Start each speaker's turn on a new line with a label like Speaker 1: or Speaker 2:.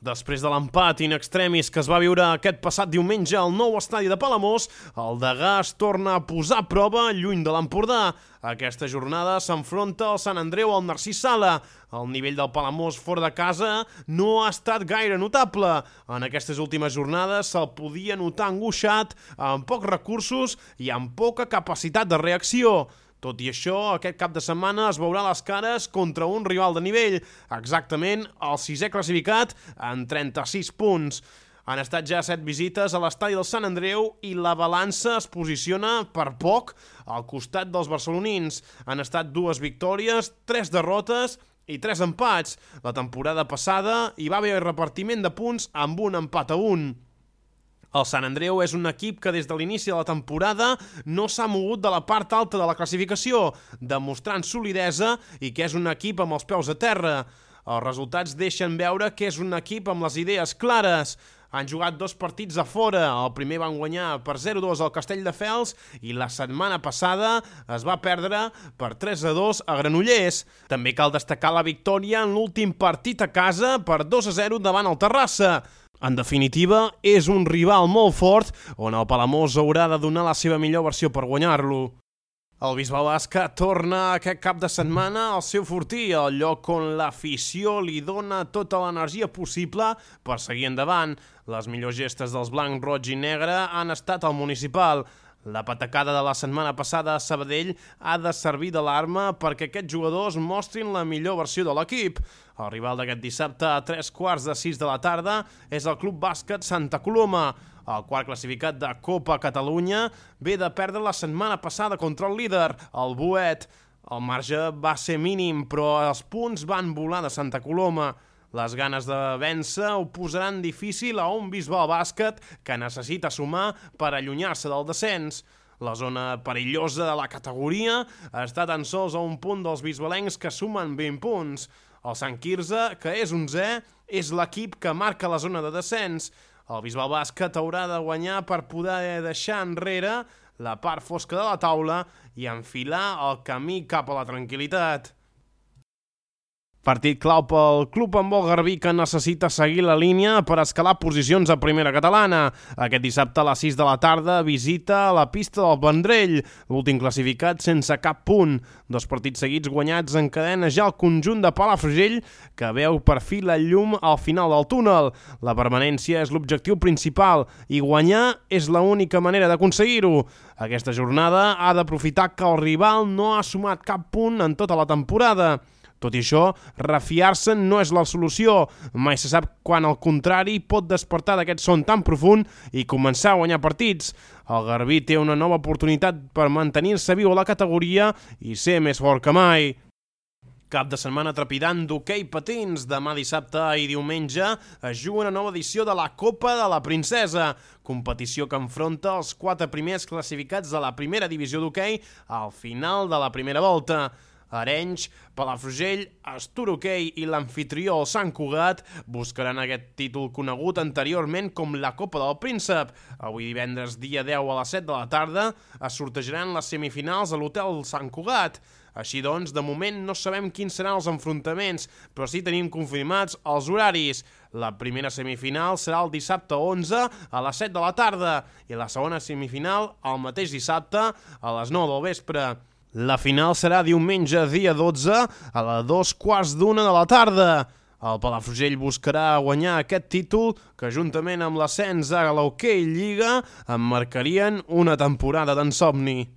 Speaker 1: Després de l'empat in extremis que es va viure aquest passat diumenge al nou estadi de Palamós, el Degà es torna a posar a prova lluny de l'Empordà. Aquesta jornada s'enfronta al Sant Andreu al Narcís Sala. El nivell del Palamós fora de casa no ha estat gaire notable. En aquestes últimes jornades se'l podia notar angoixat, amb pocs recursos i amb poca capacitat de reacció. Tot i això, aquest cap de setmana es veurà les cares contra un rival de nivell, exactament el 6è classificat en 36 punts. Han estat ja 7 visites a l'estadi del Sant Andreu i la balança es posiciona per poc al costat dels barcelonins. Han estat 2 victòries, 3 derrotes i 3 empats. La temporada passada hi va haver repartiment de punts amb un empat a 1. El Sant Andreu és un equip que des de l'inici de la temporada no s'ha mogut de la part alta de la classificació, demostrant solidesa i que és un equip amb els peus a terra. Els resultats deixen veure que és un equip amb les idees clares. Han jugat 2 partits a fora. El primer van guanyar per 0-2 al Castelldefels i la setmana passada es va perdre per 3-2 a Granollers. També cal destacar la victòria en l'últim partit a casa per 2-0 davant el Terrassa. En definitiva, és un rival molt fort on el Palamós haurà de donar la seva millor versió per guanyar-lo. El Bisbal Bàsquet torna aquest cap de setmana al seu fortí, al lloc on l'afició li dona tota l'energia possible per seguir endavant. Les millors gestes dels blanc, roig i negre han estat al municipal. La patacada de la setmana passada a Sabadell ha de servir d'alarma perquè aquests jugadors mostrin la millor versió de l'equip. El rival d'aquest dissabte a 3:45 de la tarda és el Club Bàsquet Santa Coloma. El quart classificat de Copa Catalunya ve de perdre la setmana passada contra el líder, el Boet. El marge va ser mínim, però els punts van volar de Santa Coloma. Les ganes de vèncer ho posaran difícil a un Bisbal Bàsquet que necessita sumar per allunyar-se del descens. La zona perillosa de la categoria està tan sols a un punt dels bisbalencs que sumen 20 punts. El Sant Quirze, que és 11è, és l'equip que marca la zona de descens. El Bisbal Bàsquet haurà de guanyar per poder deixar enrere la part fosca de la taula i enfilar el camí cap a la tranquil·litat. Partit clau pel club handbol garbí que necessita seguir la línia per escalar posicions a primera catalana. Aquest dissabte a les 6 de la tarda visita la pista del Vendrell, l'últim classificat sense cap punt. 2 partits seguits guanyats encadena ja el conjunt de Palafrugell que veu per fi la llum al final del túnel. La permanència és l'objectiu principal i guanyar és l'única manera d'aconseguir-ho. Aquesta jornada ha d'aprofitar que el rival no ha sumat cap punt en tota la temporada. Tot i això, refiar-se no és la solució. Mai se sap quan el contrari pot despertar d'aquest son tan profund i començar a guanyar partits. El Garbí té una nova oportunitat per mantenir-se viu a la categoria i ser més fort que mai. Cap de setmana trepidant d'hoquei patins. Demà dissabte i diumenge es juga una nova edició de la Copa de la Princesa, competició que enfronta els 4 primers classificats de la primera divisió d'hoquei al final de la primera volta. Arenys, Palafrugell, Astur Hoquei i l'amfitrió el Sant Cugat buscaran aquest títol conegut anteriorment com la Copa del Príncep. Avui divendres, dia 10 a les 7 de la tarda, es sortejaran les semifinals a l'Hotel Sant Cugat. Així doncs, de moment no sabem quins seran els enfrontaments, però sí tenim confirmats els horaris. La primera semifinal serà el dissabte 11 a les 7 de la tarda i la segona semifinal el mateix dissabte a les 9 del vespre. La final serà diumenge, dia 12, a les 2:15 de la tarda. El Palafrugell buscarà guanyar aquest títol que, juntament amb l'ascens a l'Hoquei Lliga, emmarcarien una temporada d'ensomni.